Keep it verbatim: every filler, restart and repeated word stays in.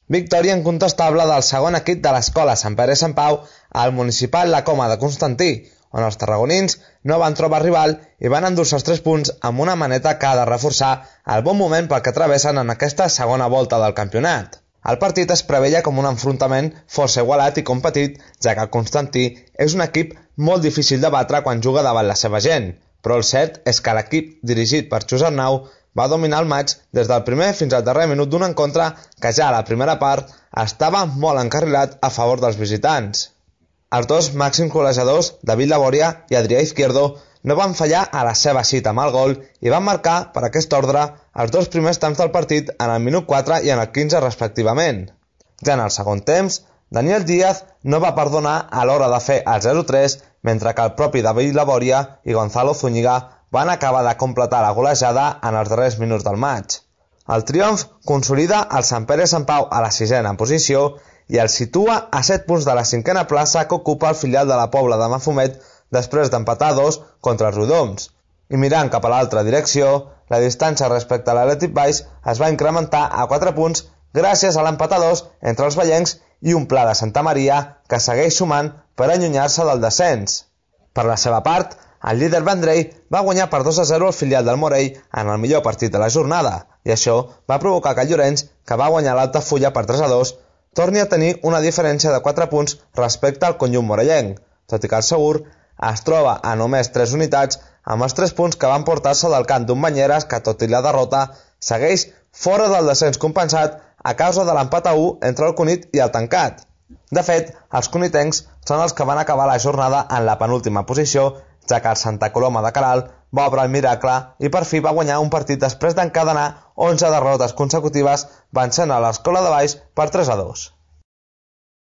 Victòria incontestable del segon equip de l'Escola Sant Pere i Sant Pau al Municipal La Coma de Constantí, on els tarragonins no van trobar rival i van endur-se els tres punts amb una maneta que ha de reforçar el bon moment pel que travessen en aquesta segona volta del campionat. El partit es preveia com un enfrontament força igualat i competit, ja que el Constantí és un equip molt difícil de batre quan juga davant la seva gent, però el cert és que l'equip dirigit per Josep Nau va dominar el maig des del primer fins al darrer minut d'un encontre que ja a la primera part estava molt encarrilat a favor dels visitants. Els dos màxims golejadors, David Laboria i Adrià Izquierdo, no van fallar a la seva cita amb el gol i van marcar, per aquest ordre, els dos primers temps del partit en el minut quatre i en el quinze respectivament. Ja en el segon temps, Daniel Díaz no va perdonar a l'hora de fer el zero tres, mentre que el propi David Laboria i Gonzalo Zúñiga van acabar de completar la golejada en els darrers minuts del maig. El triomf consolida el Sant Pere i Sant Pau a la sisena posició i el situa a set punts de la cinquena plaça que ocupa el filial de la Pobla de Mafumet després d'empatar dos contra els Rodoms. I mirant cap a l'altra direcció, la distància respecte a l'Atlètic Baix es va incrementar a quatre punts gràcies a l'empat a dos entre els vallencs i un Pla de Santa Maria que segueix sumant per allunyar-se del descens. Per la seva part, el líder Vendrell va guanyar per dos a zero el filial del Morell en el millor partit de la jornada, i això va provocar que el Llorenç, que va guanyar l'Altafulla per tres a dos, torni a tenir una diferència de quatre punts respecte al conjunt morellenc, tot i que el Segur es troba a només tres unitats amb els tres punts que van portar-se del camp d'un Banyeres que, tot i la derrota, segueix fora del descens compensat a causa de l'empat a u entre el Cunit i el Tancat. De fet, els cunitencs són els que van acabar la jornada en la penúltima posició, ja que el Santa Coloma de Queralt va obrar el miracle i per fi va guanyar un partit després d'encadenar onze derrotes consecutives vencent a l'Escola de Baix per tres a dos.